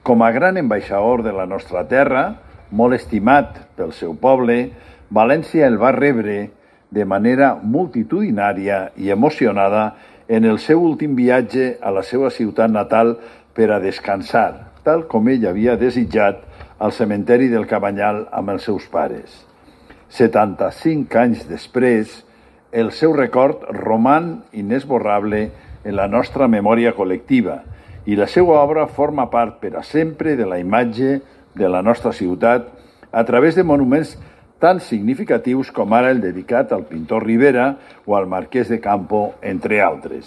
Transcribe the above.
Com a gran ambaixador de la nostra terra, molt estimat pel seu poble, València el va rebre de manera multitudinària i emocionada en el seu últim viatge a la seva ciutat natal per a descansar, tal com ell havia desitjat al cementeri del Cabanyal amb els seus pares. 75 anys després, el seu record roman inesborrable en la nostra memòria col·lectiva i la seva obra forma part per a sempre de la imatge de la nostra ciutat a través de monuments tan significatius com ara el dedicat al pintor Rivera o al marquès de Campo, entre altres.